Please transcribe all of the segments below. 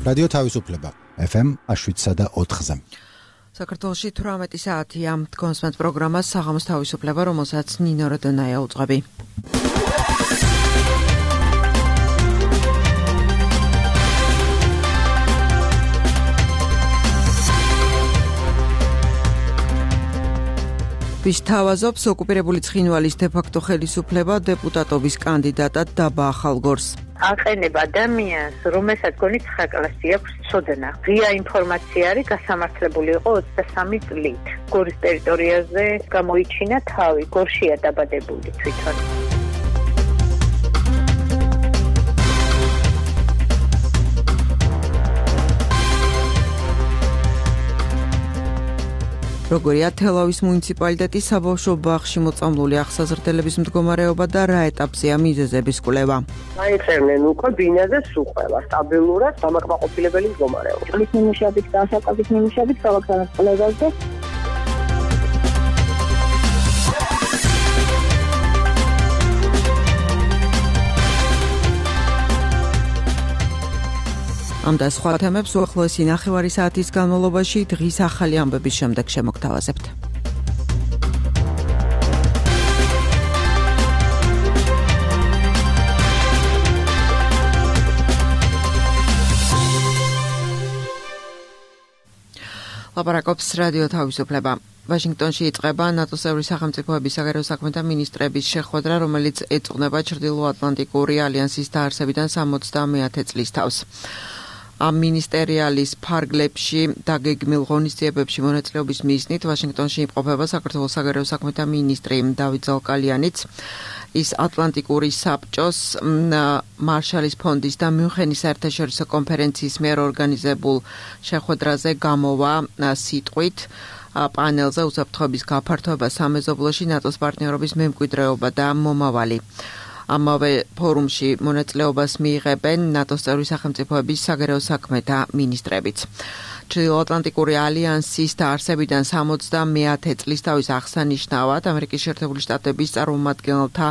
რადიო თავისუფლება FM 7.4-ზე. საქართველოში 18 საათია. კონსმენთ პროგრამას საღამოს თავისუფლება, რომელსაც ნინო როდონაია უძღვები. ვის თავაზობს ოკუპირებული ცხინვალის დე-ფაქტო ხელისუფლება დეპუტატობის კანდიდატად დაბა ახალგორს. აყენება ადამიანს, რომელსაც გონით ხაკლასი აქვს ცოდნა. ღია ინფორმაცია არის გასამართლებული იყო 23 წლით. გორის ტერიტორიაზე გამოიჩინა თავი, გორშია დაბადებული თვითონ. როგორია თელავის მუნიციპალიტეტის საბავშვო ბაღში მოწამლული აღსაზრდელების მდგომარეობა და რა ეტაპზეა მიზეზების კვლევა. აიწერნენ უკვე ბინაზე სუხევა, სტაბილურად დამაკმაყოფილებელი მდგომარეობა. წყლის ნიმუშებით და ასაკობის ნიმუშებით ქალაქთანაც კვლევაზე. ამ და სხვა თემებს უახლოესი ნახევარი საათის განმავლობაში დღის ახალი ამბების შემდეგ შემოგთავაზებთ. ლაპარაკობს რადიო თავისუფლება. ვაშინგტონში იწყება ნატოს წევრი სახელმწიფოების საგარეო საქმეთა მინისტრების შეხვედრა, რომელიც ეძღვნება ჩრდილოატლანტიკური ალიანსის დაარსებიდან 70-მეათე წლის თავს. ამ მინისტერიალის ფარგლებში დაგეგმილ ღონისძიებებში მონაწილეობის მიზნით ვაშინგტონში იმყოფება საქართველოს საგარეო საქმეთა მინისტრი დავით ზალკალიანიც. ის ატლანტიკური საბჭოს მარშალის ფონდის და მიუნხენის საერთაშორისო კონფერენციის მიერ ორგანიზებულ შეხვედრაზე გამოვა სიტყვით პანელზე უსაფრთხოების გაფართოება სამეზობლოში ნატოს პარტნიორობის მემკვიდრეობა და მომავალი. ამავე ფორუმში მონაწილეობას მიიღებენ ნატოს წევრი სახელმწიფოების საგარეო საქმეთა მინისტრებიც. ჩრდილოატლანტიკური ალიანსის დაარსებიდან 70-მეათე წლის თავის აღსანიშნავად ამერიკის შეერთებული შტატების წარმომადგენელთა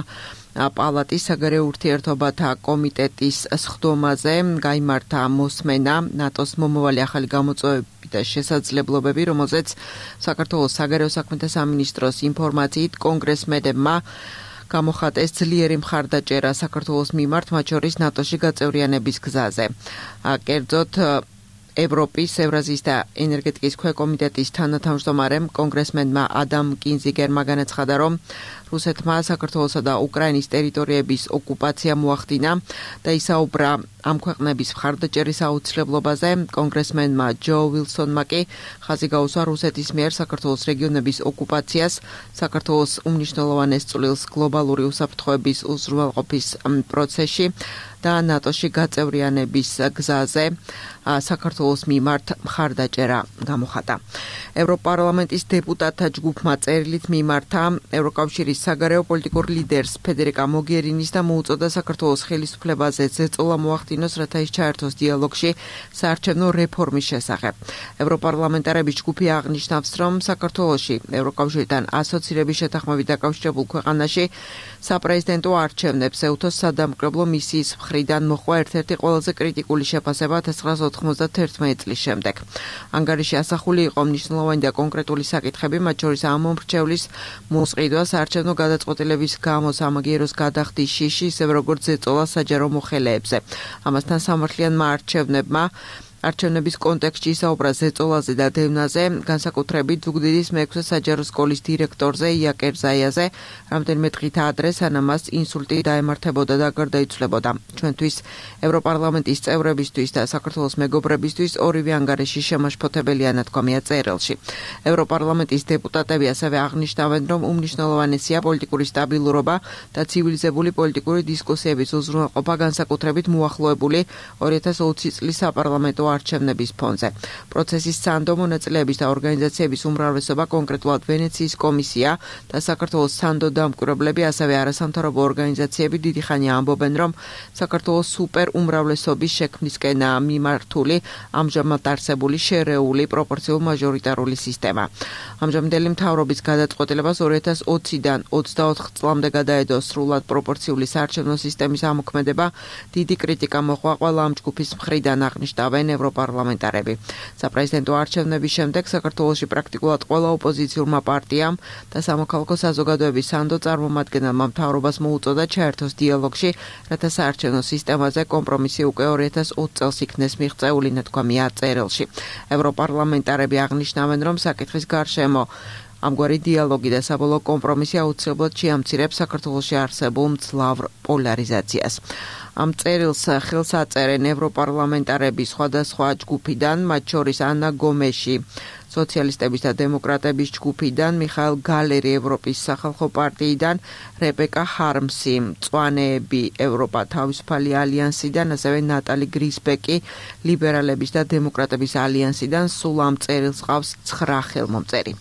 პალატის საგარეო ურთიერთობათა კომიტეტის სხდომაზე გაიმართა მოსმენა ნატოს მომავალი ახალი გამოწვევები და შესაძლებლობები, რომელზეც საქართველოს საგარეო საქმეთა სამინისტროს ინფორმაციით კონგრესმენებმა გამოხატეს ძლიერი მხარდაჭერა საქართველოს მიმართ, მათ შორის ნატოში გაწევრიანების გზაზე. კერძოდ ევროპის, ევრაზიის და ენერგეტიკის ქვეკომიტეტის თანათავმჯდომარემ კონგრესმენმა ადამ კინზიგერმა განაცხადა, რომ რუსეთმა საქართველოსა და უკრაინის ტერიტორიების ოკუპაცია მოახდინა და ისაუბრა ამ ქვეყნების მხარდაჭერის აუცილებლობაზე. კონგრესმენმა ჯო ვილსონმა კი ხაზი გაუსვა რუსეთის მიერ საქართველოს რეგიონების ოკუპაციას, საქართველოს უმნიშვნელოვანეს წვლილს გლობალური უსაფრთხოების უზრუნველყოფის პროცესში და ნატოში გაწევრიანების გზაზე საქართველოს მიმართ მხარდაჭერა გამოხატა. ევროპარლამენტის დეპუტატთა ჯგუფმა წერილით მიმართა ევროკავშირის საგარეო პოლიტიკურ ლიდერს ფედერიკა მოგერინის და მოუწოდა საქართველოს ხელისუფლებაზე ზეწოლა მოახდინოს, რათა ის ჩაერთოს დიალოგში საარჩევნო რეფორმის შესახებ. ევროპარლამენტარების ჯგუფი აღნიშნავს, რომ საქართველოში ევროკავშირთან ასოცირების შეთანხმებით დაკავშირებულ ქვეყანაში საპრეზიდენტო არჩევნებს ეუთოს სადამკრებლო მისიის მხრიდან მოხდა ერთ-ერთი ყველაზე კრიტიკული შეფასება 1991 წლის შემდეგ. ანგარიში ასახული იყო მნიშვნელოვანი და კონკრეტული საკითხები, მათ შორის ამ მომრჩევლის მოსყიდვა, საარჩევნო გადაწყვეტილების გამო სამაგიეროს გადახდის შიში, ისევე როგორც ზეწოლა საჯარო მოხელეებზე. ამასთან სამართლიანმა არჩევნების კონტექსტში ისაუბრა ზეწოლაზე და დევნაზე, განსაკუთრებით ზუგდიდის მე-6 საჯარო სკოლის დირექტორზე იაკერ ზაიაზე, რამდენიმე დღით ადრე, სანამ მას ინსულტი დაემართებოდა და გარდაიცვლებოდა. ჩვენთვის, ევროპარლამენტის წევრებისთვის და საქართველოს მეგობრებისთვის ორივე ანგარიში შემაშფოთებელია, ნათქვამია წერილში. ევროპარლამენტის დეპუტატები ასევე აღნიშნავენ, რომ უმნიშვნელოვანესია პოლიტიკური სტაბილურობა და ცივილიზებული პოლიტიკური დისკუსიების უზრუნველყოფა, განსაკუთრებით მოახლოებული 2020 წლის საპარლამენტო არჩევნების ფონზე. პროცესის სანდო მონაწილეების და ორგანიზაციების უმრავლესობა, კონკრეტულად ვენეციის კომისია და საქართველოს სანდო დამკვირვებლები, ასევე არასამთავრობო ორგანიზაციები დიდი ხანია ამბობენ, რომ საქართველოს სუპერ უმრავლესობის შექმნისკენ მიმართული ამჟამად არსებული შერეული პროპორციულ მაჟორიტარული სისტემა. ამჟამინდელი მთავრობის გადაწყვეტილებას 2020-დან 24 წლამდე გადაედო სრულად პროპორციული საარჩევნო სისტემის ამოქმედება. დიდი კრიტიკა მოჰყვა ყველა ამ ჯგუფის მხრიდან, აღნიშნავენ ევროპარლამენტარები. საპრეზიდენტო არჩევნების შემდეგ საქართველოში პრაქტიკულად ყველა ოპოზიციურმა პარტიამ და სამოქალაქო საზოგადოების სანდო წარმომადგენელმა მთავრობას მოუწოდა ჩაერთოს დიალოგში, რათა საარჩევნო სისტემაზე კომპრომისი უკვე 2020 წელს იქნეს მიღწეული, ნათქვამია წერილში. ევროპარლამენტარები აღნიშნავენ, რომ საკითხის გარშემო ამგვარი დიალოგი და საბოლოო კომპრომისი აუცილებლად შეამცირებს საქართველოში არსებულ მძლავრ პოლარიზაციას. ამ წერილს ხელს აწერენ ევროპარლამენტარები სხვადასხვა ჯგუფიდან, მათ შორის ანა გომეში, სოციალისტების და დემოკრატების ჯგუფიდან, მიხაილ გალერი ევროპის სახალხო პარტიიდან, რებეკა ჰარმსი, მწვანეები ევროპა თავისუფალი ალიანსიდან, ასევე ნატალი გრისბეკი ლიბერალების და დემოკრატების ალიანსიდან, სულ ამ წერილს ყავს 9 ხელმომწერი.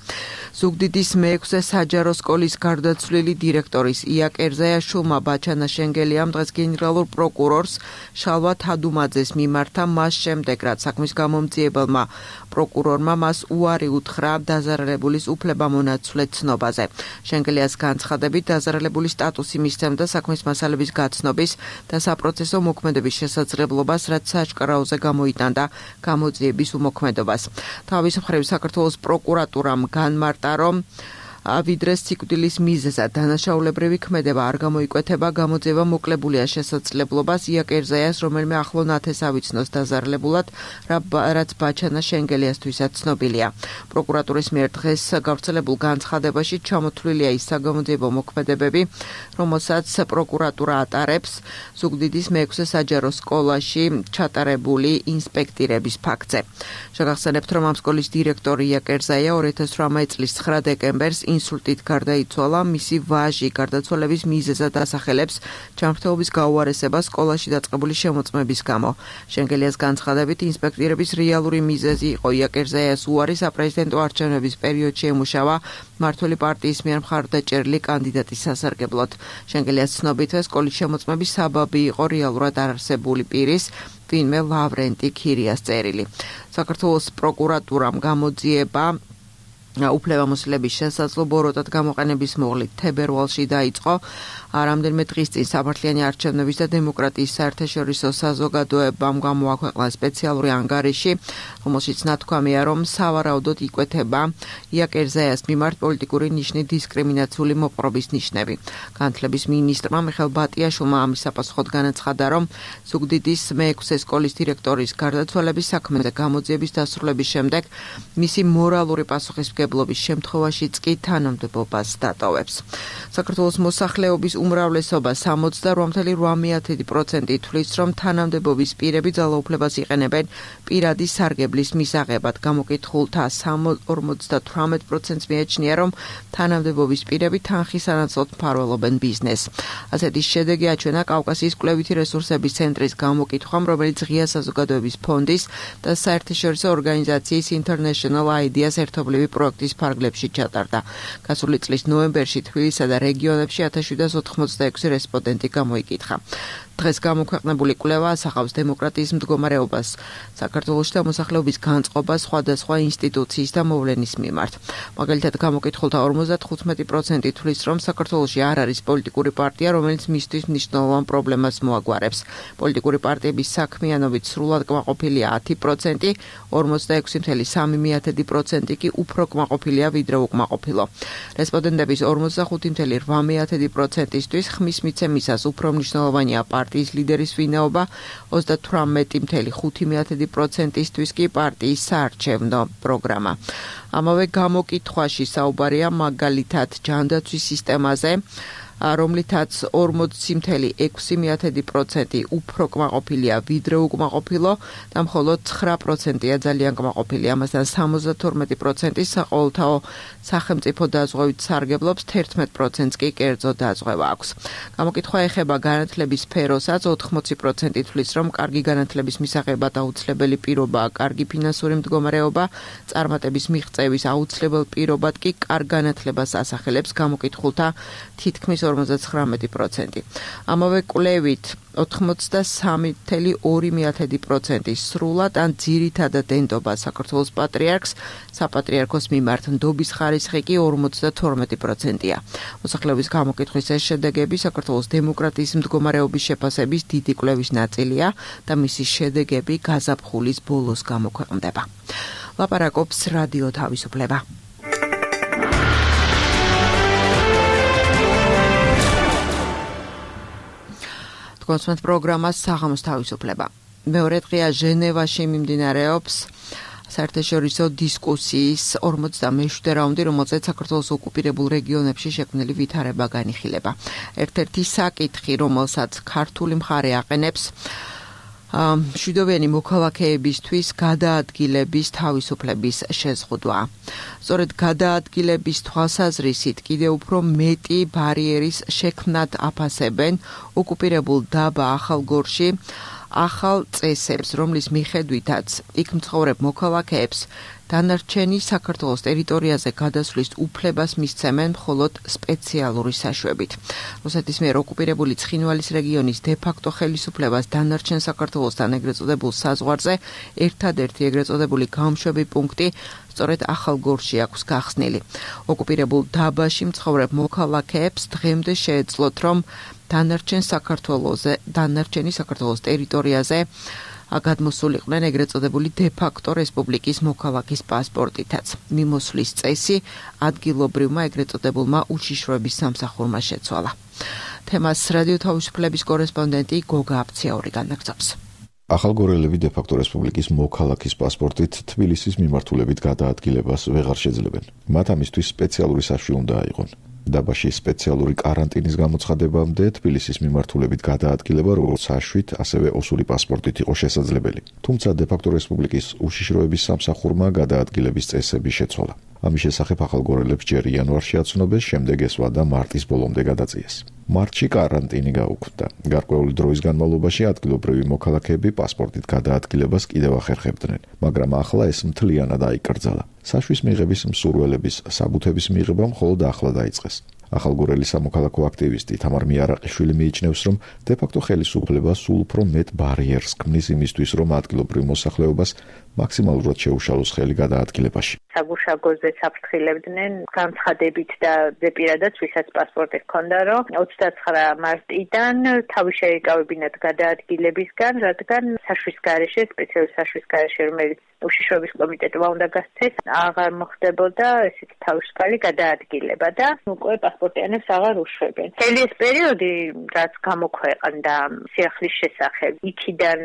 ზუგდიდის მე-6 საჯარო სკოლის გარდაცვლილი დირექტორის ია კერზაიაშვილმა ბაჩანა შენგელიამ დღეს გენერალურ პროკურორს შალვა თადუმაძეს მიმართა მას შემდეგ, რაც საქმის გამომძიებელმა პროკურორმა მას უარი უთხრა დაზარალებულის უფლებამონაცვლე ცნობაზე. შენგელიას განცხადებით დაზარალებული სტატუსი მისცემდა საქმის მასალების გაცნობის და საპროცესო მოქმედების შესაძლებლობას, რაც საჩქარაოზე გამოიტანდა გამოძიების უმოქმედობას. თავის მხრივ საქართველოს პროკურატურამ განმარტა, რომ ვიდრე სიკვდილის მიზეზად დანაშაულებრივი ქმედება არ გამოიკვეთება, გამოძიება მოკლებულია შესაძლებლობას ია კერზაიას რომელიმე ახლო ნათესავი ცნოს დაზარალებულად, რაც ბაჩანა შენგელიასთვისაც ცნობილია. პროკურატურის მიერ დღეს გავრცელებულ განცხადებაში ჩამოთვლილია ის საგამოძიებო მოქმედებები, რომელსაც პროკურატურა ატარებს ზუგდიდის მე-6 საჯარო სკოლაში ჩატარებული ინსპექტირების ფაქტზე. შეგახსენებთ, რომ ამ სკოლის დირექტორი ია კერზაია 2018 წლის 9 დეკემბერს ინსულტით გარდაიცვალა, მისი ვაჟი გარდაცვალების მიზეზად ასახელებს ჯანმრთელობის გაუარესებას სკოლაში დაწყებული შემოწმების გამო. შენგელიას განცხადებით, ინსპექტირების რეალური მიზეზი იყო ია კერზაიას უარი საპრეზიდენტო არჩევნების პერიოდში ემუშავა მმართველი პარტიის მიერ მხარდაჭერილი კანდიდატის სასარგებლოდ. შენგელიას ცნობით, სკოლის შემოწმების საბაბი იყო რეალურად არარსებული პირის, ვინმე ლავრენტი ქირიას წერილი. საქართველოს პროკურატურამ გამოძიება უფლებამოსილების შესაძლებლობა როტად გამოყენების მოვლით თებერვალში დაიწყო. რამდენიმე დღის წინ სამართლიანი არჩევნების და დემოკრატიის საერთაშორისო საზოგადოებამ გამოაქვეყნა სპეციალური ანგარიში, რომელშიც ნათქვამია, რომ სავარაუდოდ იკვეთება ია კერზაიას მიმართ პოლიტიკური ნიშნით დისკრიმინაციული მოპყრობის ნიშნები. განათლების მინისტრმა მიხეილ ბატიაშვილმა ამის საპასუხოდ განაცხადა, რომ ზუგდიდის მე-6 სკოლის დირექტორის გარდაცვალების საქმეზე გამოძიების დასრულების შემდეგ მისი მორალური პასუხისმგებლობის შემთხვევაშიც კი თანამდებობას დატოვებს. საქართველოს მოსახლეობის უმრავლესობა 68.8% თვლის, რომ თანამდებობის პირები ძალაუფლებას იყენებენ პირადი სარგებლის მისაღებად. გამოკითხულთა 58%-ს მიაჩნია, რომ თანამდებობის პირები თანხის ანაცვლოდ მფარველობენ ბიზნესს. ასეთი შედეგი აჩვენა კავკასიის კვლევითი რესურსების ცენტრის გამოკითხვამ, რომელიც ღია საზოგადოების ფონდის და საერთაშორისო ორგანიზაციის International Ideas ერთობლივი პროექტის ფარგლებში ჩატარდა. გასული წლის ნოემბერში თბილისსა და რეგიონებში 1786 რესპონდენტი გამოიკითხა. დღეს გამოქვეყნებული კვლევა ასახავს დემოკრატიის მდგომარეობას საქართველოში და მოსახლეობის განწყობას სხვადასხვა ინსტიტუციის და მოვლენის მიმართ. მაგალითად, გამოკითხულთა 55% თვლის, რომ საქართველოში არ არის პოლიტიკური პარტია, რომელიც მისთვის მნიშვნელოვან პრობლემას მოაგვარებს. პოლიტიკური პარტიების საქმიანობით სრულად კმაყოფილია 10%, 46.3% კი უფრო კმაყოფილია ვიდრე უკმაყოფილო. რესპონდენტების 45.8%-ისთვის ხმის მიცემისას უფრო მნიშვნელოვანია პარტიის ლიდერის ვინაობა, 38.5%-ისთვის კი პარტიის საარჩევნო პროგრამა. ამავე გამოკითხვაში საუბარია მაგალითად ჯანდაცვის სისტემაზე, რომლითაც 40.6% უფრო კმაყოფილია ვიდრე უკმაყოფილო და მხოლოდ 9%-ია ძალიან კმაყოფილი. ამასთან 72% საყოველთაო სახელმწიფო დაზღვევით სარგებლობს, 11%-ს კი კერძო დაზღვევა აქვს. გამოკითხვა ეხება განათლების სფეროსაც, 80% თვლის, რომ კარგი განათლების მისაღებად აუცილებელი პირობაა კარგი ფინანსური მდგომარეობა, წარმატების მიღწევის აუცილებელ პირობად კი კარგ განათლებას ასახელებს გამოკითხულთა თითქმის 49%. ამავე კვლევით 83.2% სრულად ან ძირითადად ენდობა საქართველოს პატრიარქს, საპატრიარქოს მიმართ ნდობის ხარისხი კი 52%-ია. მოსახლეობის გამოკითხვის ეს შედეგები საქართველოს დემოკრატიის მდგომარეობის შეფასების დიდი კვლევის ნაწილია და მისი შედეგები გაზაფხულის ბოლოს გამოქვეყნდება. ლაპარაკობს რადიო თავისუფლება. კონსმეთ პროგრამას საღამოს თავისუფლება. მეორე დღეა ჟენევაში მიმდინარეობს საერთაშორისო დისკუსიის 47 რაუნდი, რომელზეც საქართველოს ოკუპირებულ რეგიონებში შექმნილი ვითარება განიხილება. ერთ-ერთი საკითხი, რომელსაც ქართული მხარე აყენებს, მშვიდობიანი მოქალაქეებისთვის გადაადგილების თავისუფლების შეზღუდვა. სწორედ გადაადგილების თვალსაზრისით კიდევ უფრო მეტი ბარიერის შექმნად აფასებენ ოკუპირებულ დაბა ახალგორში ახალ წესებს, რომლის მიხედვითაც იქ მცხოვრებ მოქალაქეებს დანარჩენი საქართველოს ტერიტორიაზე გადასვლის უფლებას მისცემენ მხოლოდ სპეციალური საშვებით. რუსეთის მიერ ოკუპირებული ცხინვალის რეგიონის დე-ფაქტო ხელისუფლებას დანარჩენ საქართველოსთან ეგრეთ წოდებულ საზღვარზე ერთადერთი ეგრეთ წოდებული გამშვები პუნქტი სწორედ ახალგორში აქვს გახსნილი. ოკუპირებულ დაბაში მცხოვრებ მოქალაქეებს დღემდე შეეძლოთ, რომ დანარჩენი საქართველოს ტერიტორიაზე გადმოსულიყვნენ ეგრეთ წოდებული დე-ფაქტო რესპუბლიკის მოქალაქის პასპორტითაც. მიმოსვლის წესი ადგილობრივმა ეგრეთ წოდებულმა უშიშროების სამსახურმა შეცვალა. თემას რადიო თავისუფლების კორესპონდენტი გოგა აფციაური განაგრძობს. ახალგორელები დე-ფაქტო რესპუბლიკის მოქალაქის პასპორტით თბილისის მიმართულებით გადაადგილებას ვეღარ შეძლებენ. მათ ამისთვის სპეციალური საშვი უნდა აიღონ. დაბაში სპეციალური კარანტინის გამოცხადებამდე თბილისის მიმართულებით გადაადგილება როგორც საშვით, ასევე ოსური პასპორტით იყო შესაძლებელი. თუმცა დე-ფაქტო რესპუბლიკის უშიშროების სამსახურმა გადაადგილების წესები შეცვალა. ამის შესახებ ახალგორელებს ჯერ იანვარში აცნობეს, შემდეგ ესვა და მარტის ბოლომდე გადაწიეს. მარტში კარანტინი გაუქმდა. გარკვეული დროის განმავლობაში ადგილობრივი მოქალაქეები პასპორტით გადაადგილებას კიდევ ახერხებდნენ, მაგრამ ახლა ეს მთლიანად აიკრძალა. საშვის მიღების მსურველების საბუთების მიღება მხოლოდ ახლა დაიწყეს. ახალგორელი სამოქალაქო აქტივისტი თამარ მიარაყიშვილი მიიჩნევს, რომ დე-ფაქტო ხელისუფლება სულ უფრო მეტ ბარიერს ქმნის იმისთვის, რომ ადგილობრივ მოსახლეობას მაქსიმალურად შეუშალოს ხელი გადაადგილებაში. საგუშაგოზე საფრთხილებდნენ განცხადებით და ზეპირადაც ვისაც პასპორტი ჰქონდა, რომ 29 მარტიდან თავი შეიკავებინათ გადაადგილებისგან, რადგან საშვის გარეშე, სპეციალური საშვის გარეშე, რომელიც უშიშროების კომიტეტმა უნდა გასცეს, აღარ მოხდებოდა ესეთ თავისუფალი გადაადგილება და უკვე პასპორტიანებს აღარ უშვებენ. მთელი ეს პერიოდი, რაც გამოქვეყნდა სიახლის შესახებ, იქიდან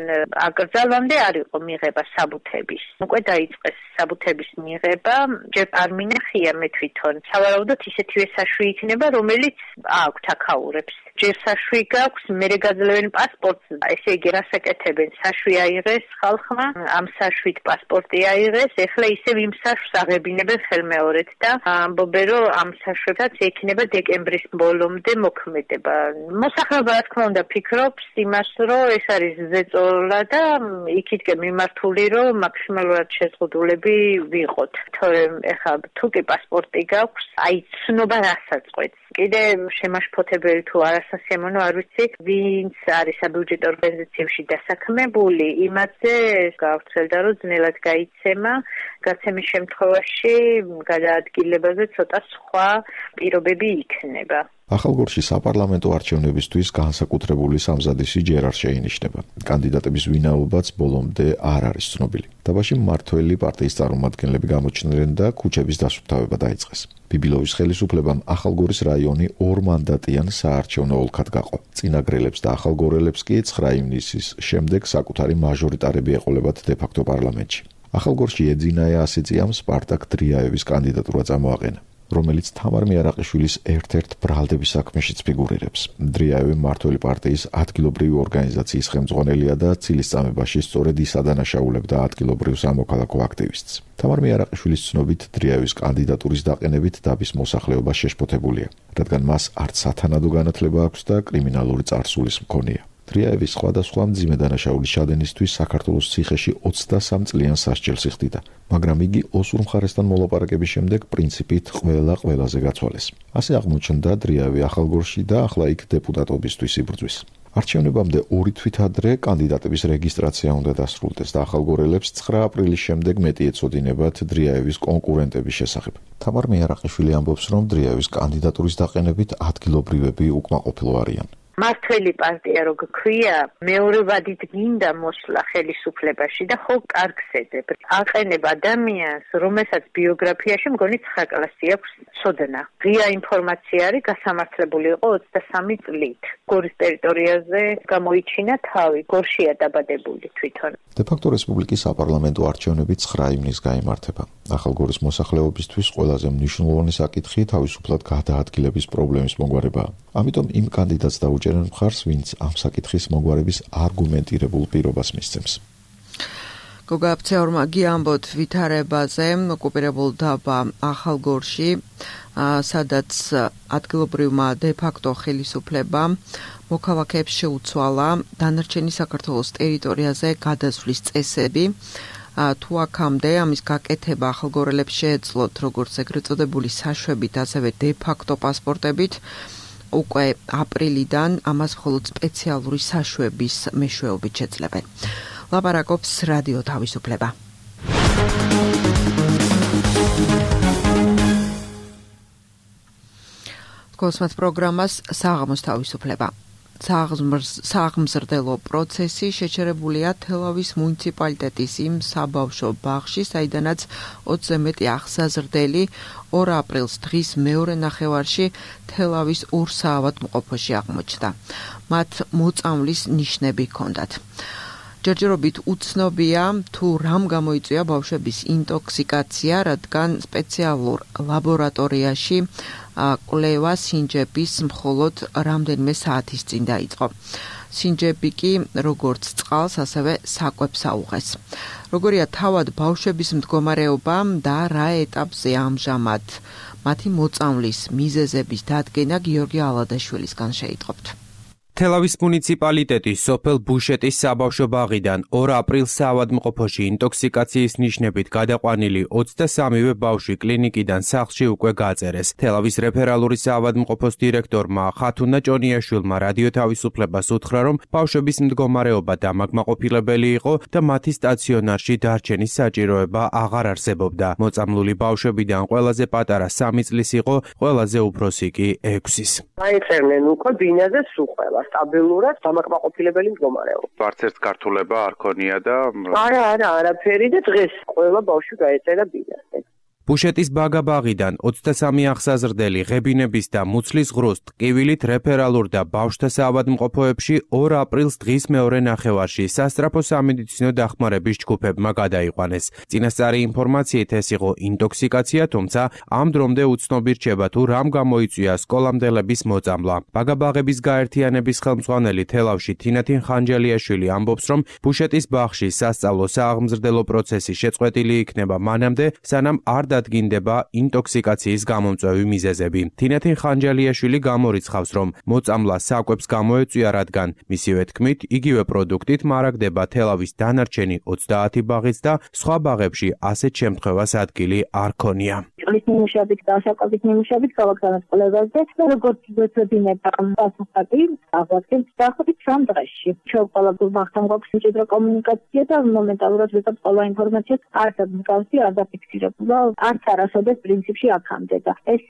აკრძალვამდე არ იყო მიღება საბუთების. უკვე დაიწყეს საბუთების მიღება, ჯერ არ მინახია მე თვითონ. სავარაუდოდ ისეთივე საშვი იქნება, რომელიც აქვთ აქაურებს. ჯერ საშვი გაქვს, მერე გაძლევენ პასპორტს, ესე იგი რასაკეთებენ, საშვი აიღეს ხალხმა, ამ საშვით პასპორტი აიღეს, ეხლა ისევ იმ საშვს აღებინებენ ხელმეორედ და ამბობენ, რომ ამ საშვებსაც ექნება დეკემბრის ბოლომდე მოქმედება. მოსახლეობა რა თქმა უნდა ფიქრობს იმას, რომ ეს არის ზეწოლა და იქითკენ მიმართული, რომ მაქსიმალურად შეზღუდულები ვიყოთ. თორემ ეხლა თუ კი პასპორტი გაქვს, აი ცნობა რასაც კიდე შემაშფოთებელი თუ არასასიამოვნო არ ვიცი, ვინც არის საბიუჯეტო ორგანიზაციებში დასაქმებული, იმაზე გავრცელდა, რომ ძნელად გაიცემა, გაცემის შემთხვევაში გადაადგილებაზე ცოტა სხვა პირობები იქნება. ახალგორში საპარლამენტო არჩევნებისთვის განსაკუთრებული სამზადისი ჯერ არ შეინიშნება. კანდიდატების ვინაობაც ბოლომდე არ არის ცნობილი. დაბაში მმართველი პარტიის წარმომადგენლები გამოჩნდნენ და ქუჩების დასუფთავება დაიწყეს. ბიბილოვის ხელისუფლებამ ახალგორის რაიონი 2 მანდატიან საარჩევნო ოლქად გაყო. წინაგრელებს და ახალგორელებს კი 9 ივნისის შემდეგ საკუთარი მაჟორიტარები ეყოლებათ დე-ფაქტო პარლამენტში. ახალგორში ეძინაია ასიწიამ სპარტაკ დრიაევის კანდიდატურა წამოაყენა, რომელიც თამარ მიარაყიშვილის ერთ-ერთ ბრალდების საქმეშიც ფიგურირებს. დრიაევი მმართველი პარტიის ადგილობრივი ორგანიზაციის ხელმძღვანელია და ცილისწამებაში სწორედ ის ადანაშაულებდა ადგილობრივ სამოქალაქო აქტივისტს. თამარ მიარაყიშვილის ცნობით დრიაევის კანდიდატურის დაყენებით დაბის მოსახლეობა შეშფოთებულია, რადგან მას არც სათანადო განათლება აქვს და კრიმინალური წარსულის მქონია. დრიაევის სხვადასხვა მძიმე დანაშაულის ჩადენისთვის საქართველოს ციხეში 23 წლიან სასჯელს იხდიდა, მაგრამ იგი ოსურ მხარესთან მოლაპარაკების შემდეგ პრინციპით ყველაზე გაცვალეს. ასე აღმოჩნდა დრიაევი ახალგორში და ახლა იქ დეპუტატობისთვის იბრძვის. არჩევნებამდე 2 თვით ადრე კანდიდატების რეგისტრაცია უნდა დასრულდეს და ახალგორელებს 9 აპრილის შემდეგ მეტი ეწოდინებათ დრიაევის კონკურენტების შესახებ. თამარ მეარაყიშვილი ამბობს, რომ დრიაევის კანდიდატურის დაყენებით ადგილობრივები უკმაყოფილო არიან. მართველი პარტია რო გქვია, მეორე ვადით გინდა მოსვლა ხელისუფლებაში და ხო კარგს ეძებ. აყენებ ადამიანს, რომელსაც ბიოგრაფიაში მგონი 9 კლასი აქვს ცოდნა. ღია ინფორმაცია არის გასამართლებული იყო 23 წლით. გორის ტერიტორიაზე გამოიჩინა თავი, გორშია დაბადებული თვითონ. დე-ფაქტო რესპუბლიკის საპარლამენტო არჩევნები 9 ივნისს გაიმართება. ახალგორის მოსახლეობისთვის ყველაზე მნიშვნელოვანი საკითხი თავისუფლად გადაადგილების პრობლემის მოგვარებაა. ამიტომ იმ კანდიდატს დაუჭერენ მხარს, ვინც ამ საკითხის მოგვარების არგუმენტირებულ პირობას მისცემს. გოგა აფცეორმა გიამბოთ ვითარებაზე ოკუპირებულ დაბა ახალგორში, სადაც ადგილობრივმა დე-ფაქტო ხელისუფლებამ მოქალაქეებს შეუცვალა დანარჩენი საქართველოს ტერიტორიაზე გადასვლის წესები. თუ აქამდე ამის გაკეთება ახალგორელებს შეეძლოთ როგორც ეგრეთ წოდებული საშვებით, ასევე დე-ფაქტო პასპორტებით, უკვე აპრილიდან ამას მხოლოდ სპეციალური საშვების მეშვეობით შეძლებენ. ლაპარაკობს რადიო თავისუფლება. კოსმოს პროგრამას საღამოს თავისუფლება. საღმზრდელო პროცესი შეჩერებულია თელავის მუნიციპალიტეტის იმ საბავშვო ბაღში, საიდანაც 20-ზე მეტი აღსაზრდელი 2 აპრილს დღის მეორე ნახევარში თელავის ურსაავადმყოფოში აღმოჩნდა. მათ მოწამვლის ნიშნები ჰქონდათ. ჯერჯერობით უცნობია თუ რამ გამოიწვია ბავშვების ინტოქსიკაცია, რადგან სპეციალურ ლაბორატორიაში კვლევა სინჯების მხოლოდ რამდენიმე საათის წინ დაიწყო. სინჯები კი როგორც წყალს, ასევე საკვებს აუღეს. როგორია თავად ბავშვების მდგომარეობა და რა ეტაპზე ამჟამად მათი მოწამვლის მიზეზების დადგენა გიორგი ალადაშვილისგან შეიტყობთ. თელავის მუნიციპალიტეტის სოფელ ბუშეტის საბავშვო ბაღიდან 2 აპრილს საავადმყოფოში ინტოქსიკაციის ნიშნებით გადაყვანილი 23-ვე ბავშვი კლინიკიდან სახლში უკვე გაწერეს. თელავის რეფერალური საავადმყოფოს დირექტორმა ხათუნა ჭონიაშვილმა რადიო თავისუფლებას უთხრა, რომ ბავშვების მდგომარეობა დამაკმაყოფილებელი იყო და მათი სტაციონარში დარჩენის საჭიროება აღარ არსებობდა. მოწამლული ბავშვებიდან ყველაზე პატარა 3 წლის იყო, ყველაზე უფროსი კი 6-ის. აიწერნენ უკვე ბინაზე სუხელა. სტაბილურად დამაკმაყოფილებელი მდგომარეობა. არც ერთ გართულება არ ქონია და არაფერი და დღეს ყველა ბავშვი გაეწერა ბინაზე. ბუშეტის ბაგაბაღიდან 23 აღსაზრდელი ღებინების და მუცლის ღრუს ტკივილით რეფერალურ და ბავშვთა საავადმყოფოებში 2 აპრილს დღის მეორე ნახევარში სასწრაფო სამედიცინო დახმარების ჯგუფებმა გადაიყვანეს. წინასწარი ინფორმაციით ეს იყო ინტოქსიკაცია, თუმცა ამ დრომდე უცნობი რჩება თუ რამ გამოიწვია სკოლამდელების მოწამვლა. ბაგაბაღების გაერთიანების ხელმძღვანელი თელავში თინათინ ხანჯალიაშვილი ამბობს, რომ ბუშეტის ბაღში სასწავლო სააღმზრდელო პროცესი შეწყვეტილი იქნება მანამდე, სანამ არ დადგინდება ინტოქსიკაციის გამომწვევი მიზეზები. თინათინ ხანჯალიაშვილი გამორიცხავს, რომ მოწამვლა საკვებს გამოეწვია, რადგან მისივე თქმით, იგივე პროდუქტით მარაგდება თელავის დანარჩენი 30 ბაღიც და სხვა ბაღებში ასეთ შემთხვევას ადგილი არ ქონია. წყლის ნიმუშებით და საკვების ნიმუშებით ქალაქგანაც კვლევაზე და როგორც ვეცოდინება პასუხები აღვadzეთ დაახლოებით 3 დღეში. ჩვენ ყველა ბაღთან გვაქვს მჭიდრო კომუნიკაცია და მომენტალურად ვიღებ ყველა ინფორმაციას არც მსგავსი არ დაფიქსირებულა. არც არასოდეს პრინციპში აქამდე და ეს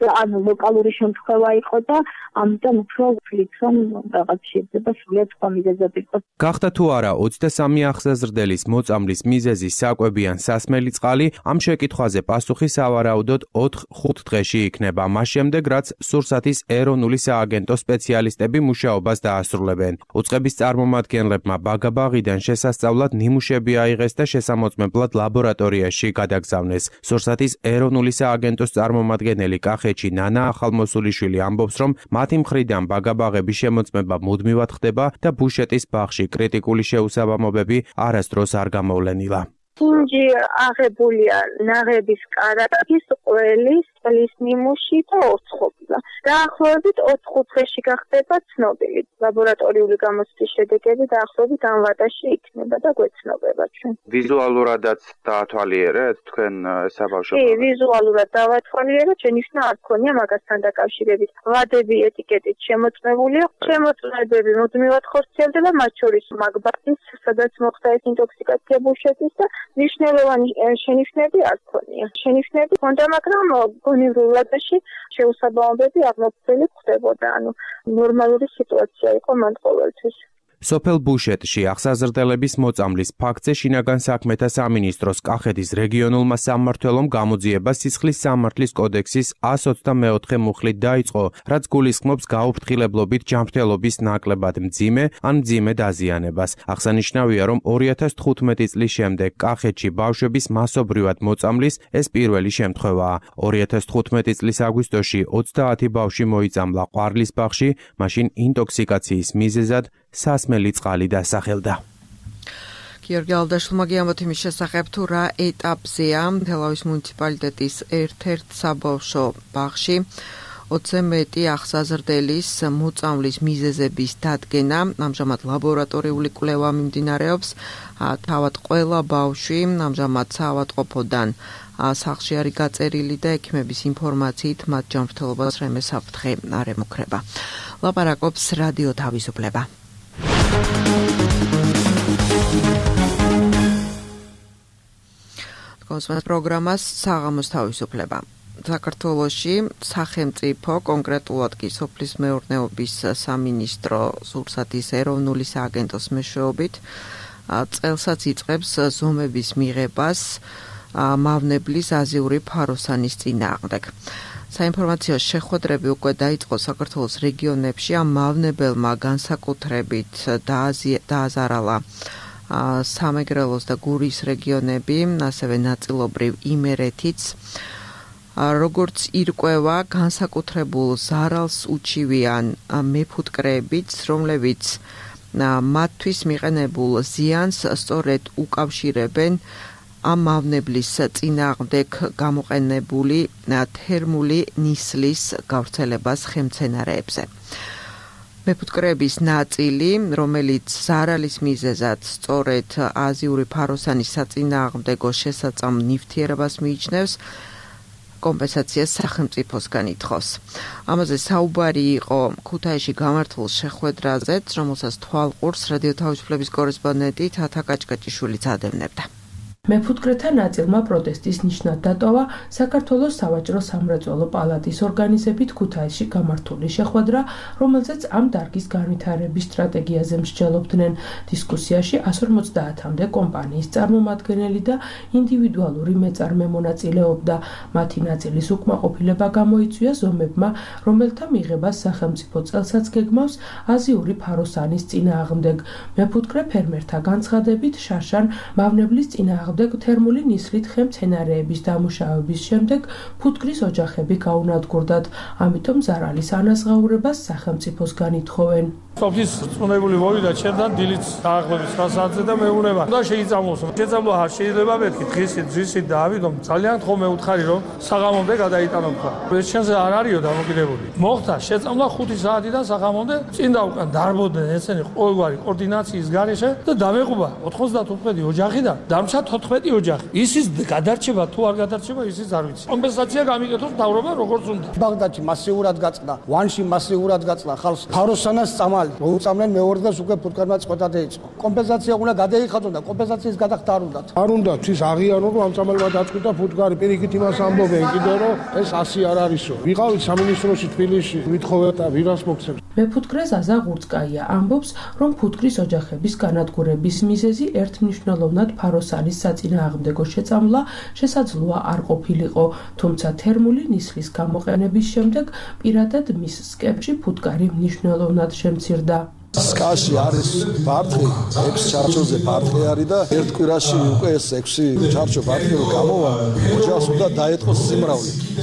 ლოკალური შემთხვევა იყო და ამიტომ უფრო ვფიქრობ, რომ რაღაც შეიძლება სრულიად სხვა მიზეზები იყოს. გახდა თუ არა 23 აღსაზრდელის მოწამვლის მიზეზი საკვები ან სასმელი წყალი, ამ შეკითხვაზე პასუხი სავარაუდოდ 4-5 დღეში იქნება, მას შემდეგ რაც სურსათის ეროვნული სააგენტო სპეციალისტები მუშაობას დაასრულებენ. უწყების წარმომადგენლებმა ბაგაბაღიდან შესასწავლად ნიმუშები აიღეს და შესამოწმებლად ლაბორატორიაში გადაგზავნეს. სურსათის ეროვნული სააგენტოს წარმომადგენელი კახეთში ნანა ახალმოსულიშვილი ამბობს, რომ მათი მხრიდან ბაგაბაღების შემოწმება მუდმივად ხდება და ბუშეტის ბაღში კრიტიკული შეუსაბამობები არასდროს არ გამოვლენილა. სინჯი აღებულია ნაღების კარაკის, ყველის წლის ნიმუში და ორცხობილა. დაახლოებით 4-5 დღეში გახდება ცნობილი. ლაბორატორიული გამოცდის შედეგები დაახლოებით ამ ვადაში იქნება და გვეცნობება ჩვენ. ვიზუალურადაც დაათვალიერეთ თქვენ ესა ბავშვობა? კი, ვიზუალურად დავათვალიერეთ, შენიშვნა არ ქონია მაგასთან დაკავშირებით. ვადები ეტიკეტით შემოწმებულია, შემოწმებები მუდმივად ხორციელდება, მათ შორის მაგბატის, სადაც მოხდა ეს ინტოქსიკაცია ბუშეთის და მნიშვნელოვანი შენიშვნები არ ქონია. შენიშვნები ჰქონდა, მაგრამ გონივრულ ვადაში შეუსაბამობები აღმოფხვრილი ხდებოდა, ანუ ნორმალური სიტუაცია იყო მან ყოველთვის. სოფელ ბუშეტში აღსაზრდელების მოწამლის ფაქტზე შინაგან საქმეთა სამინისტროს კახეთის რეგიონულმა სამმართველომ გამოძიება სისხლის სამართლის კოდექსის 124 მუხლით დაიწყო, რაც გულისხმობს გაუფრთხილებლობით ჯანმრთელობის ნაკლებად მძიმე ან მძიმე დაზიანებას. აღსანიშნავია, რომ 2015 წლის შემდეგ კახეთში ბავშვების მასობრივად მოწამლის ეს პირველი შემთხვევაა. 2015 წლის აგვისტოში 30 ბავშვი მოიწამლა ყვარლისბაღში, მაშინ ინტოქსიკაციის მიზეზად სასმელი წყალი დასახელდა. გიორგი ალდაშვილმა გიამბოთ იმის შესახებ, თუ რა ეტაპზეა თელავის მუნიციპალიტეტის ერთ-ერთ საბავშვო ბაღში 20-ზე მეტი აღსაზრდელის მოწამლის მიზეზების დადგენა. ამჟამად ლაბორატორიული კვლევა მიმდინარეობს. თავად ყველა ბავშვი ამჟამად საავადმყოფოდან სახლში არის გაწერილი და ექიმების ინფორმაციით მათ ჯანმრთელობას რემე საფრთხე არ ემუქრება. ლაპარაკობს რადიო თავისუფლება. კონსმას პროგრამას საღამოს თავისუფლება. საქართველოში სახელმწიფო, კონკრეტულად კი სოფლის მეურნეობის სამინისტრო სურსათის ეროვნული სააგენტოს მეშვეობით წელსაც იწყებს ზომების მიღებას მავნებლის აზიური ფაროსანის წინააღმდეგ. საინფორმაციო შეხვედრები უკვე დაიწყო საქართველოს რეგიონებში. ამ მავნებელმა განსაკუთრებით დააზარალა სამეგრელოს და გურის რეგიონები, ასევე ნაწილობრივ იმერეთიც. როგორც ირკვევა, განსაკუთრებულ ზარალს უჩივიან მეფუტკრეებიც, რომლებიც მათთვის მიყენებულ ზიანს სწორედ უკავშირებენ ამ მავნებლის წინააღმდეგ გამოყენებული თერმული ნისლის გავრცელებას ხელმცენარეებზე. მეფუტკრეების ნაწილი, რომელიც ზარალის მიზეზად სწორედ აზიური ფაროსანის საწინააღმდეგო შესაწამ ნივთიერებას მიიჩნევს, კომპენსაციას სახელმწიფოსგან ითხოვს. ამაზე საუბარი იყო ქუთაისში გამართულ შეხვედრაზეც, რომელსაც თვალყურს რადიო თავისუფლების კორესპონდენტი თათა კაჭკაჭიშვილიც ადევნებდა. მეფუტკრეთა ნაწილმა პროტესტის ნიშნად დატოვა საქართველოს სავაჭრო სამრეწველო პალატის ორგანიზებით ქუთაისში გამართული შეხვედრა, რომელზეც ამ დარგის განვითარების სტრატეგიაზე მსჯელობდნენ. დისკუსიაში 150-მდე კომპანიის წარმომადგენელი და ინდივიდუალური მეწარმე მონაწილეობდა. მათი ნაწილის უკმაყოფილება გამოიწვია ზომებმა, რომელთა მიღებას სახელმწიფო წელსაც გეგმავს აზიური ფაროსანის წინააღმდეგ. მეფუტკრე ფერმერთა განცხადებით შარშან მავნებლის წინააღმდეგ თერმული ნისლით ხემცენარეების დამუშავების შემდეგ ფუტკრის ოჯახები გაუნადგურდათ, ამიტომ ზარალის ანაზღაურებას სახელმწიფოსგან ითხოვენ. სოფლის წუნებული მოვიდა ჩემთან დილით დაახლოებით 9 საათზე და მეუბნება და შეიწამოს. შეწამლა არ შეიძლება მეთქი დღისით დავიდომ ძალიან ხომ მეუთხარი რომ საღამომდე გადაიტანო თქვა. ეს შენზე არ არისო დამოკიდებული. მოხდა შეწამლა 5 საათიდან საღამომდე წინ და უკან დარბოდნენ ესენი ყოველგვარი კოორდინაციის გარეშე და დამეყובה 95 ოჯახი და დამჩა 14 ოჯახი. ისის გადარჩება თუ არ გადარჩება ისიც არ ვიცი. კომპენსაცია გამიგეთოს მთავრობა როგორც უნდა. ბაღდადში მასიურად გაწყდა, ვანში მასიურად გაწყდა ხალხს ფაროსანას წამალი. მოუწამდნენ მეორე დღეს უკვე ფუტკარმა წყვეტა დაიწყო. კომპენსაცია უნდა გადაიხადონ და კომპენსაციის გადახდა არ უნდათ. არ უნდა ის აღიარო რომ ამ წამალმა დაწყვიტა ფუტკარი პირიქით იმას ამბობენ კიდე რომ ეს 100 არ არისო. ვიყავით სამინისტროში თბილისში, ვითხოვეთ და ვირას მოგცემს. მეფუტკრე ზაზა ღურწკაია ამბობს, რომ ფუტკრის ოჯახების განადგურების მიზეზი ერთმნიშვნელოვნად ფაროსანის საწინააღმდეგო შეწამლა შესაძლოა არ ყოფილიყო, თუმცა თერმული ნისლის გამოყენების შემდეგ პირადად მის სკეპში ფუტკარი მნიშვნელოვნად შემცირდა. სკაში არის ბარტყი 6 ჩარჩოზე ბარტყი არის და ერთ კვირაში უკვე ეს 6 ჩარჩო ბარტყი გამოვა ოჯახს უნდა დაეწყოს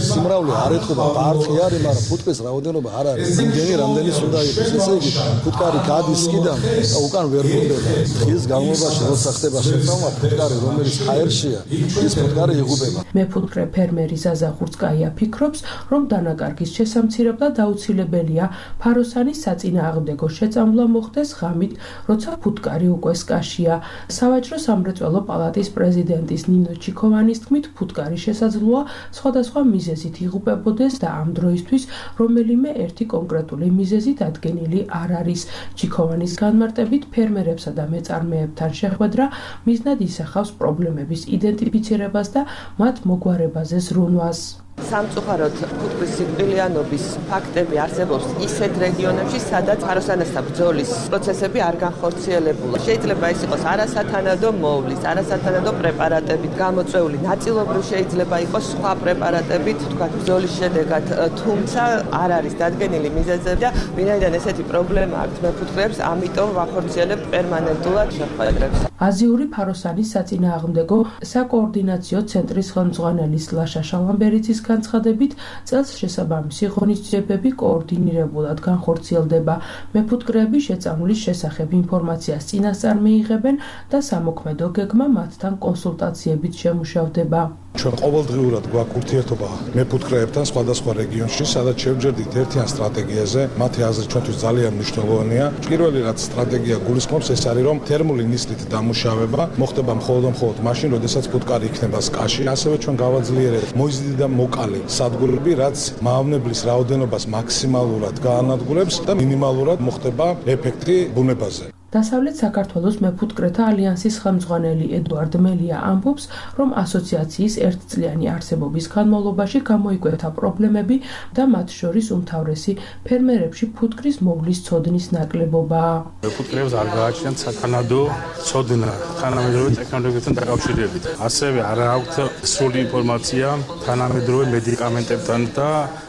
სიმრავლე არ ეთყობა ბარტყი არის მაგრამ ფუტკრის რაოდენობა არ არის იმდენი რამდენის უნდა იყოს ესე იგი ფუტკარი გადის კიდან და უკან ვერ გუნდება ის განმავლობაში როცა ხდება შეწამვა ფუტკარი რომელიც ჰაერშია ის ფუტკარი იღუპება მეფუტკრე ფერმერი ზაზა ხურცკაია ფიქრობს რომ დანაკარგის შესამცირებლად აუცილებელია ფაროსანის საწინააღმდეგო შეწამვლა მოხდეს ღამით, როცა ფუტკარი უკვე სკაშია. სავაჭრო სამრეწველო პალატის პრეზიდენტის ნინო ჩიქოვანის თქმით, ფუტკარი შესაძლოა სხვადასხვა მიზეზით იღუპებოდეს და ამ დროისთვის რომელიმე ერთი კონკრეტული მიზეზი დადგენილი არ არის. ჩიქოვანის განმარტებით ფერმერებსა და მეწარმეებთან შეხვედრა მიზნად ისახავს პრობლემების იდენტიფიცირებას და მათ მოგვარებაზე ზრუნვას. სამწუხაროდ ფუტკრის სიკვდილიანობის ფაქტები არსებობს ისეთ რეგიონებში, სადაც ფაროსანასთან ბრძოლის პროცესები არ განხორციელებულა. შეიძლება ეს იყოს არასათანადო მოვლის, არასათანადო პრეპარატებით გამოწვეული, ნაწილობრივ შეიძლება იყოს სხვა პრეპარატებით, თქვათ ბრძოლის შედეგად, თუმცა არ არის დადგენილი მიზეზები და ვინაიდან ესეთი პრობლემა აქვს მეფუტკრეებს, ამიტომ ვახორციელებთ პერმანენტულად შეხვედრებს. აზიური ფაროსანის საწინააღმდეგო საკოორდინაციო ცენტრის ხელმძღვანელის ლაშა შალამბერიძის განცხადებით, წელს შესაბამისი ღონისძიებები კოორდინირებულად განხორციელდება. მეფუტკრეები შეწამვლის შესახებ ინფორმაციას წინასწარ მიიღებენ და სამოქმედო გეგმა მათთან კონსულტაციებით შემუშავდება. ჩვენ ყოველდღიურად გვაქვს ურთიერთობა მეფუტკრეებთან სხვადასხვა რეგიონში, სადაც შევჯერდით ერთიან სტრატეგიაზე. მათი აზრით ჩვენთვის ძალიან მნიშვნელოვანია. პირველი რაც სტრატეგია გულისხმობს, ეს არის რომ თერმული ნისლით დამუშავება მოხდება მხოლოდ მაშინ, როდესაც ფუტკარი იქნება სკაში. ასევე ჩვენ გავაძლიერებთ მოიზრდი და მოკალი სადგურები, რაც მავნებლის რაოდენობას მაქსიმალურად გაანადგურებს და მინიმალურად მოხდება ეფექტი ბუნებაზე. დასავლეთ საქართველოს მეფუტკრეთა ალიანსის ხელმძღვანელი ედუარდ მელია ამბობს, რომ ასოციაციის ერთწლიანი არსებობის განმავლობაში გამოიკვეთა პრობლემები და მათ შორის უმთავრესი ფერმერებში ფუტკრის მოვლის ცოდნის ნაკლებობაა. მეფუტკრეებს არ გააჩნიათ სათანადო ცოდნა თანამედროვე ტექნოლოგიებთან დაკავშირებით. ასევე არ აქვთ სრული ინფორმაცია თანამედროვე მედიკამენტებთან და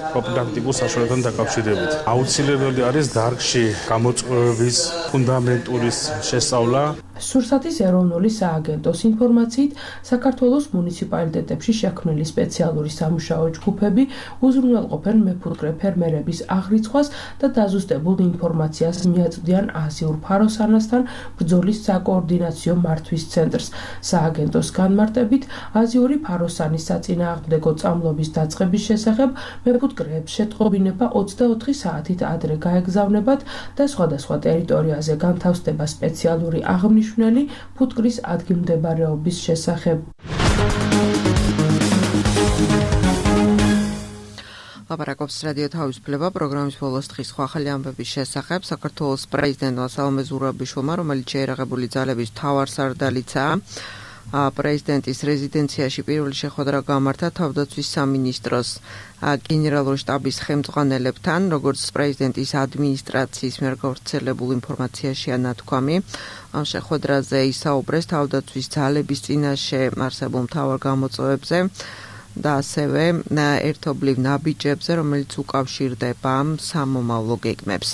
პროფილაქტიკულ საშუალებებთან დაკავშირებით. აუცილებელი არის დარგში გამოწვევების ფუნდამენტურის შესწავლა. სურსათის ეროვნული სააგენტოს ინფორმაციით, საქართველოს მუნიციპალიტეტებში შექმნილი სპეციალური სამუშაო ჯგუფები უზრუნველყოფენ მეფუტკრე ფერმერების აღრიცხვას და დაზუსტებულ ინფორმაციას მიაწვდიან აზიურ ფაროსანასთან ბრძოლის საკოორდინაციო მართვის ცენტრს. სააგენტოს განმარტებით, აზიური ფაროსანის საწინააღმდეგო წამლობის დაწყების შესახებ მეფუტკრეებს შეტყობინება 24 საათით ადრე გაეგზავნებათ და სხვადასხვა ტერიტორიაზე განთავსდება სპეციალური აღნიშნული ფუტკრის ადგილმდებარეობის შესახებ. ლაპარაკობს რადიო თავისუფლება პროგრამის ბოლოს დღის სხვა ახალი ამბების შესახებ. საქართველოს პრეზიდენტმა სალომე ზურაბიშვილმა, რომელიც შეერაღებული ძალების მთავარსარდალიცაა, პრეზიდენტის რეზიდენციაში პირველი შეხვედრა გამართა თავდაცვის სამინისტროს გენერალური შტაბის ხელმძღვანელებთან, როგორც პრეზიდენტის ადმინისტრაციის მიერ გავრცელებულ ინფორმაციაშია ნათქვამი. ამ შეხვედრაზე ისაუბრეს თავდაცვის ძალების წინაშე არსებულ მთავარ გამოწვევებზე და ასევე ერთობლივ ნაბიჯებზე, რომელიც უკავშირდება სამომავლო გეგმებს.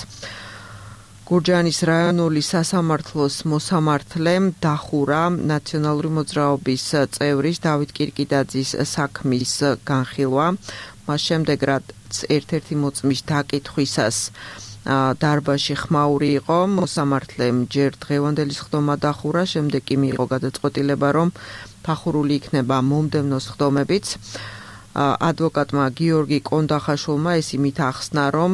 გურჯაანის რაიონული სასამართლოს მოსამართლე დახურა ნაციონალური მოძრაობის წევრის დავით კირკიდაძის საქმის განხილვა. მას შემდეგ, რაც ერთ-ერთი მოწმის დაკითხვისას დარბაზში ხმაური იყო, მოსამართლემ ჯერ დღევანდელი სხდომა დახურა, შემდეგ კი მიიღო გადაწყვეტილება, რომ დახურული იქნება მომდევნო სხდომებიც. ადვოკატმა გიორგი კონდახაშვილმა ეს იმით ახსნა, რომ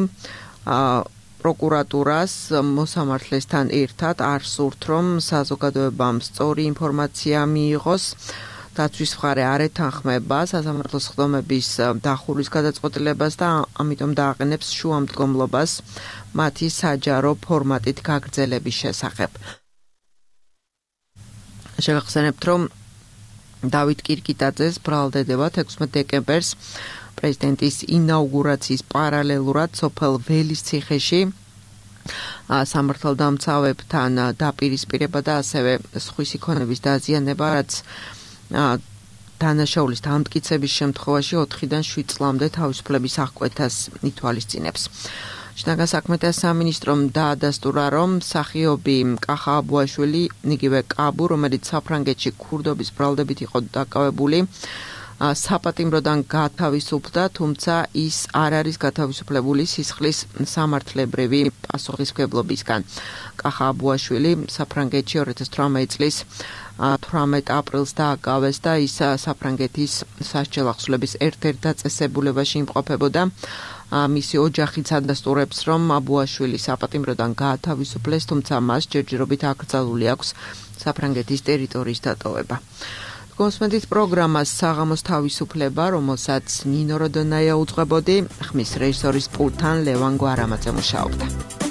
პროკურატურას მოსამართლესთან ერთად არ სურთ, რომ საზოგადოებამ სწორი ინფორმაცია მიიღოს. დაცვის მხარე არ ეთანხმება სასამართლოს სხდომების დახურვის გადაწყვეტილებას და ამიტომ დააყენებს შუამდგომლობას მათი საჯარო ფორმატით გაგრძელების შესახებ. შევახსენებთ, რომ დავით კირკიდაძეს ბრალდებოდა 16 დეკემბერს პრეზიდენტის ინაუგურაციის პარალელურად სოფელ ველისციხეში სამართალდამცავებთან დაპირისპირება და ასევე სხვისი ქონების დაზიანება, რაც დანაშაულის დამტკიცების შემთხვევაში 4-დან 7 წლამდე თავისუფლების აღკვეთას ითვალისწინებს. შინაგან საქმეთა სამინისტრომ დაადასტურა, რომ მსახიობი კახა აბუაშვილი, იგივე კაბუ, რომელიც საფრანგეთში ქურდობის ბრალდებით იყო დაკავებული, საპატიმროდან გათავისუფლდა, თუმცა ის არ არის გათავისუფლებული სისხლის სამართლებრივი პასუხისმგებლობისგან. კახა აბუაშვილი საფრანგეთში 2018 წლის 18 აპრილს დააკავეს და ის საფრანგეთის სასჯელ ახსნების ერთ-ერთ დაწესებულებაში იმყოფებოდა. მისი ოჯახიც ადასტურებს, რომ აბუაშვილი საპატიმროდან გაათავისუფლეს, თუმცა მას ჯერჯერობით აკრძალული აქვს საფრანგეთის ტერიტორიის დატოვება. Გოსმენთ პროგრამას საღამოს თავისუფლება, რომელსაც ნინო როდონაია უძღვებოდი, ხმის რეჟისორის პულტთან ლევან გვარამაძე მუშაობდა.